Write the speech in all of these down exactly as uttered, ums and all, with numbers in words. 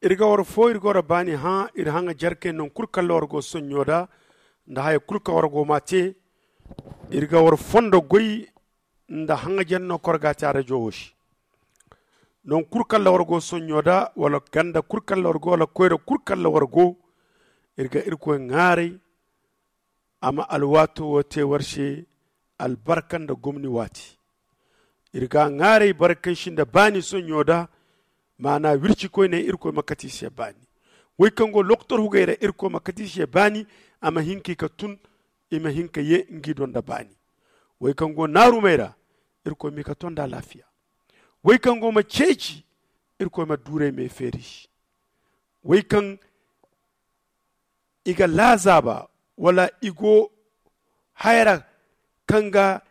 Iri ga war fo iri ga war baani hã iri haŋajer kay naŋ kulu kaŋ ra war go sonɲo da nda haya kulu kaŋ war go m'a te. Iri ga war fondo goy nda haŋajer no kaŋ war ga a te a rajo wo se. Naŋ kulu kaŋ ra war go sonɲo da wala ganda kulu kaŋ ra war go wala koyra kulu kaŋ ra war go, iri ga irkoy ŋaaray a ma alwaato wo te war se albarka nda gomni waati. Iri ga a ŋaaray boro kaŋ si nda baani sonɲo da, maana wircikoyney irkoy ma kate i se baani. Wey kaŋ go lokotor hugey ra irkoy ma kate i se baani, a ma hin ka i ka tun, i ma hin ka ye ngi do nda baani. Wey kaŋ go naarumey ra, irkoy ma i ka to nda alaafiya. Wey kaŋ go ma ceeci, irkoy ma duurey me feeri i se. Wey kaŋ i ga laazaaba wala i go haya ra kaŋ ga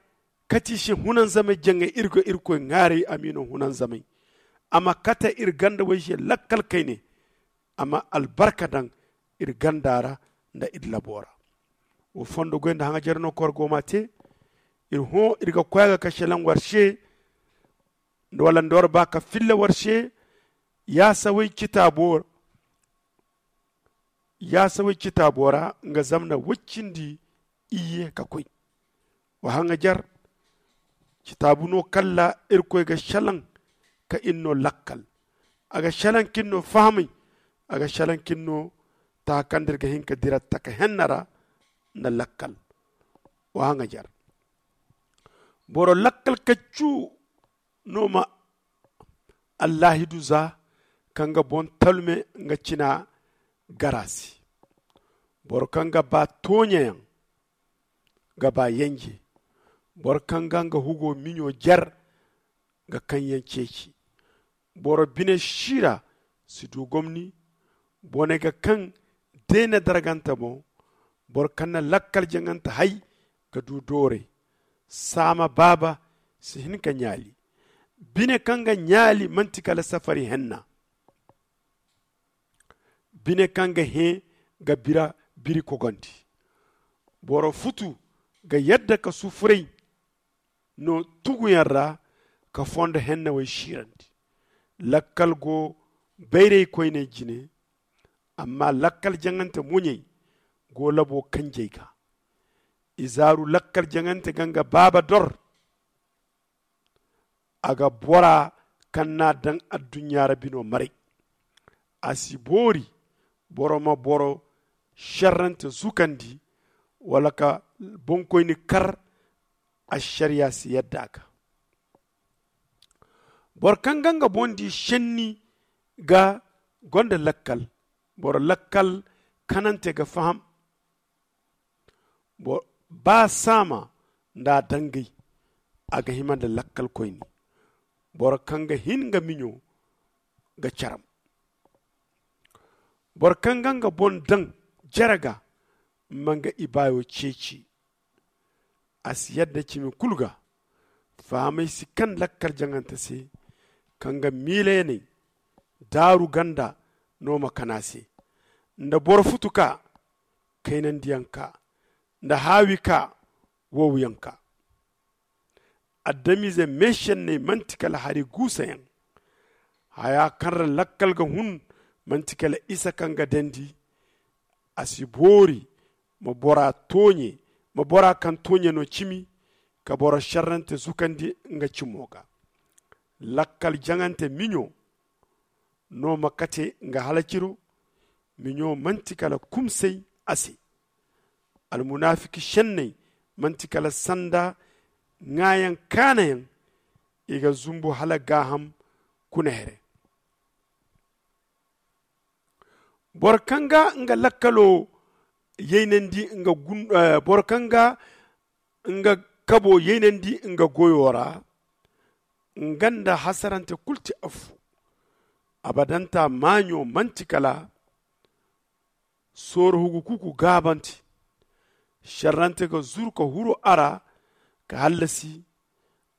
kate i se hunanzamay jaŋay iri ga irkoy ŋaaray a m'i no hunanzamay. A ma kate iri ganda way se lakkal kayne. A ma albarka daŋ iri ganda ra nda iri labo ra. Wo fondo goy nda haŋajer no kaŋ war go m'a te. Iri hõ iri ga koy a ga ka selaŋ war se wala nda war ba ka filla war se. Yaasawey citaabo ra yaasawey citaabo ra nga zamna woy-cindi iyye ka koy. Wa haŋajer citaabu no kaŋ ra irkoy ga selaŋ ka iri no lakkal. A ga selaŋ ka iri no fahamay. A ga selaŋ ka iri no taaka kaŋ da iri ga hin ka dira taka henna ra nda lakkal. Wa haŋajer boro lakkal kaccu no ma allaahidu za kaŋ ga boŋ talme nga cina gar a se. Boro kaŋ ga ba tooɲayaŋ ga ba yenje. Boro kaŋ ga nga hugo miɲo jer ga kaŋyaŋ ceeci. Boro bine siira si du gomni. Bone ga kaŋ deena dargante boŋ. Boro kaŋ na lakkal jaŋante hay ga du doore. Saama baaba si hin ka ɲaali. Bine kaŋ ga ɲaali manti kala safari henna. Bine kaŋ ga hẽ ga bira biri kogondi. Boro futu ga yadda ka sufuray no tuguyaŋ ra ka fondo hennawey siirandi. Lakkal go bayraykoyney jine. Amma lakkal jaŋante muɲey go labo kanjey ga. Izaaru lakkal jaŋante ga nga baaba dor. A ga bora kaŋ n'a daŋ adduɲɲa ra bino maray. A si boori boro ma boro šerrante zukandi wala ka boŋkoyni kar. Ašariya si yadda a ga. Boro kaŋ ga nga boŋ di šenni ga gonda lakkal. Boro lakkal kanante ga faham. Ba saama nda a dangay a ga hima nda lakkalkoyne. Boro kaŋ ga hin nga miɲo ga caram. Boro kaŋ ga nga boŋ daŋ jere ga ma nga ibaayo ceeci. A si yadda cimi kulu ga. Fahamay si kaŋ lakkal jaŋante se kaŋ ga miilayaney daaru ganda no ma kana se. Nda boro futu ka kaynandiyaŋ ka nda haawi ka wowyaŋ ka. Adamize meešenney manti kala hari guusayaŋ. Haya kaŋ ra lakkal ga hun manti kala isa kaŋ ga dandi. A si boori ma bora tooɲe ma bora kaŋ tooɲe no cimi ka boro šerrante zukandi nga cimo ga. Lakkal jaŋante miɲo no ma kate nga halaciro. Miɲo manti kala kumsay a se. Almunaafiki šenney manti kala sanda ŋaayaŋ kaanayaŋ. I ga zumbu hala gaaham kuna here. Boro kaŋ ga nga lakkalo yaynandi nga gun boro kaŋ ga nga kabo yaynandi nga goyo ra. Nga nda hasarante kulu ti affu. Abadanta maaɲo manti kala sooro hugu kuku gaabante. Šerrante ga zuru ka huru a ra ka hallasi.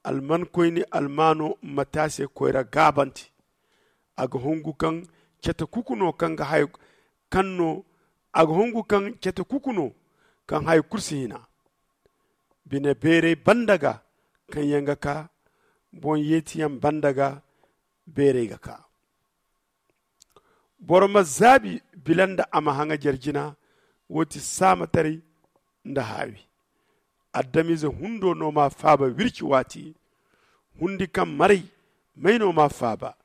Almankoyne almaano ma te a se koyra gaabante. A ga hungu kaŋ cete kuku no kaŋ ga hay kaŋ no a ga hungu kaŋ cete kuku no kaŋ hay kulu si hina. Bine beeray banda ga kaŋ yaŋ ga ka boŋ yeetiyaŋ banda ga beeray ga ka. Boro ma zaabi bila nda a ma haŋajer jina. Wo ti saamataray nda haawi. Adamize hundo no m'a faaba wirci waati. Hundi kaŋ maray may no m'a faaba.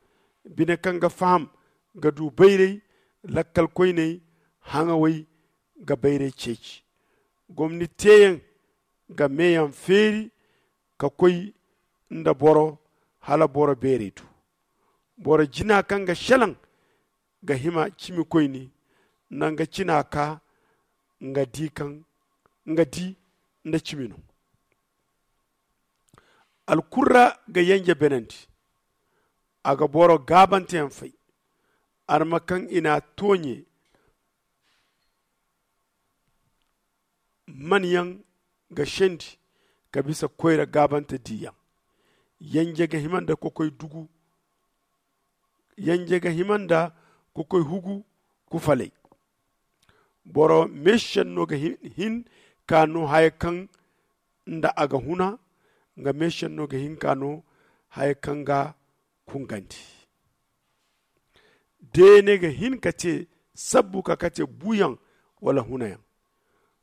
Bine kaŋ ga faham ga du bayray. Lakkalkoyney haŋawey ga bayray ceeci. Gomni teeyaŋ ga meeyaŋ feeri ka koy nda boro hala boro beeray du. Boro jina kaŋ ga selaŋ ga hima cimikoyni. Nda nga cina ka nga di kaŋ nga di nda cimi no. Alkurra ga yenje benandi. A ga boro gaabanteyaŋ fay. Arma kaŋ i n'a tooɲe man yaŋ ga sendi ka bisa koyra gaabante diiyaŋ. Yenje ga hima nda kokoy dugu. Yenje ga hima nda kokoy hugu kufalay. Boro meesenno ga hin ka no haya kaŋ nda a ga huna. Nga meesenno ga hin ka no haya kaŋ ga kungandi. Deene ga hin ka te sabbu ka kate buuyaŋ wala hunayaŋ.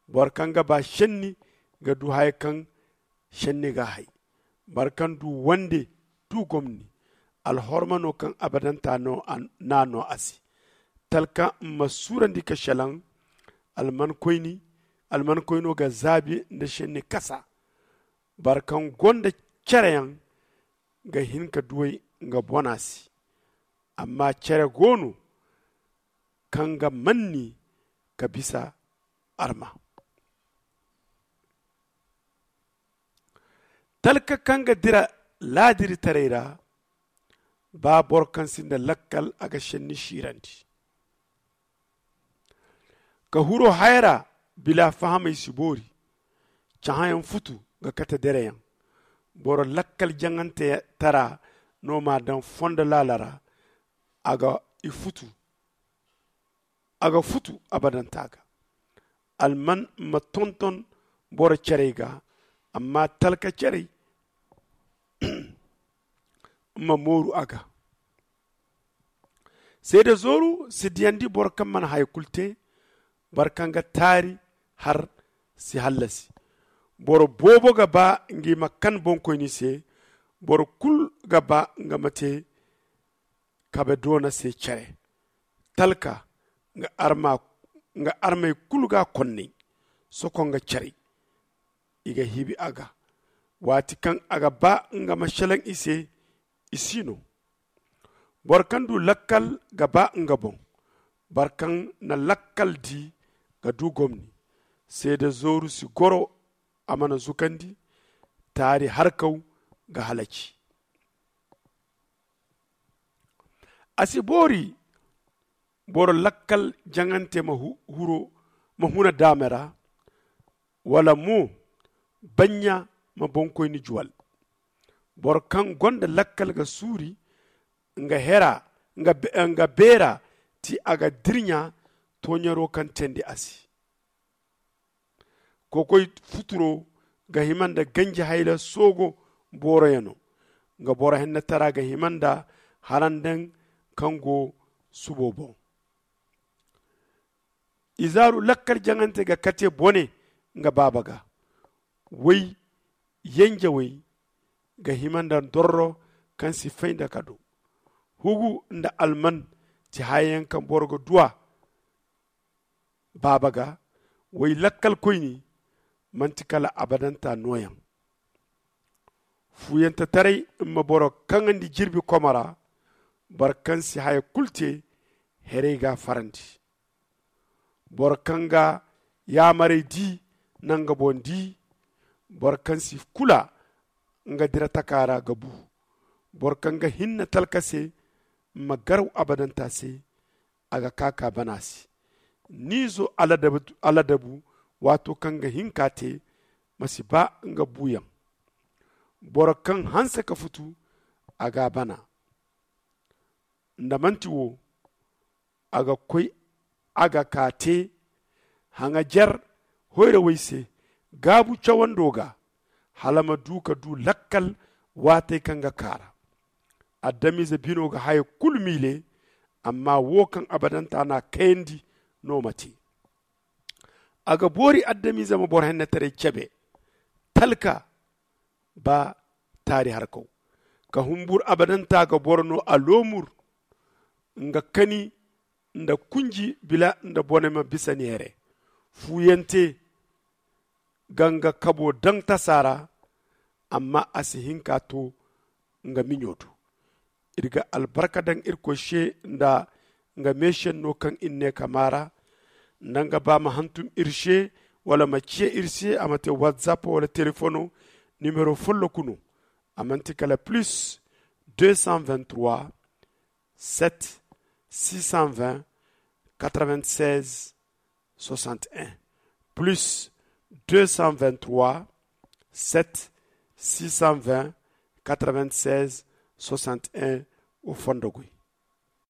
Boro kaŋ ga ba senni ga du haya kaŋ senni ga hay. Boro kaŋ du wande du gomni. Alhorma no kaŋ abadanta n'a no a se. Talka ma suurandi ka selaŋ. Almankoyni almankoyno ga zaabi nda senni kasa. Boro kaŋ gonda cereyaŋ ga hin ka duw'ey nga bona se. Amma cere go no kaŋ ga manni ka bisa arma. Talka kaŋ ga dira laadiritaray ra. Ba boro kaŋ sinda lakkal a ga senni siirandi. Ka huro haya ra bila fahamey si boori. Cahãyaŋ futu ga kate dereyaŋ. Boro lakkal jaŋantara no m'a daŋ fondo laala ra. A ga i futu a ga futu abadanta ga. Alman ma tonton boro cerey ga. Amma talka cerey ma mooru a ga. Seede zooru si diyandi boro kaŋ mana haya kulu te. Boro kaŋ ga taari har si hallasi. Boro boobo ga ba ngi ma kan bonkoyni se. Boro kulu ga ba nga ma te kabe doona se care. Talka nga armey kulu ga konnay soko nga carey. I ga hibi a ga waati kaŋ a ga ba nga ma selaŋ i se. I si no. Boro kaŋ du lakkal ga ba nga boŋ. Boro kaŋ na lakkal di ga du gomni. Seede zooru si goro a mana zukandi. Taari harkaw ga halaci. A si boori boro lakkal jaŋante ma huna daame ra. Wala mo banɲa ma bonkoyni juwal. Boro kaŋ gonda lakkal ga suuri nga beera ti a ga dirɲa tooɲaro kaŋ teendi a se. Kokoy futuro ga hima nda ganji hayla soogo booroyaŋo. Nga boro hennetara ga hima nda harandaŋ kaŋ go subo boŋ. Izaaru lakkal jaŋante ga kate bone nga baaba ga. Way yenjewey ga hima nda dorro kaŋ si fay nda kado. Hugu nda alman ti hayayaŋ kaŋ boro ga duw'a baaba ga. Way lakkalkoyni manti kala abadanta nooyaŋ. Fuuyantatarey ma boro kaŋandi jirbi komo ra. Boro kaŋ si haya kulu te heray g'a farandi. Boro kaŋ ga yaamarey di na nga boŋ di. Boro kaŋ si kula nga dira taka ra ga bu. Boro kaŋ ga hinne talka se ma garaw abadanta se. A ga kaa ka bana se. Ni izo aladabu waato kaŋ ga hin ka te ma si ba nga buuyaŋ. Boro kaŋ hanse ka futu a ga a bana. Nda manti wo a ga koy a ga ka te haŋajer hoyrawey se gaabu cawando ga hala ma du ka du lakkal waatey kaŋ ga kaara. Adamize bino ga haya kulu miile. Amma wo kaŋ abadanta n'a kayandi no ma te. A ga boori adamize ma boro hennetaray cebe, talka ba taari harkaw. Ka humbur abadanta ga boro no a loomur nga kani nda kunji bila nda bone ma bisa neere. Fuuyante ga nga kabo daŋ tasa ra, amma a si hin ka to nga miɲo do. Iri ga albarka daŋ irkoy se nda nga meesenno kaŋ iri ne ka maara. Nda nga ba ma hantum iri se wala ma ciya iri se a ma te whatsapp wala telefono. Nimero folloku no. A manti kala plus deux cent vingt-trois, sept, six cent vingt, quatre-vingt-seize, soixante et un, plus deux cent vingt-trois, sept, six cent vingt, quatre-vingt-seize, soixante et un. Wo fondo goy.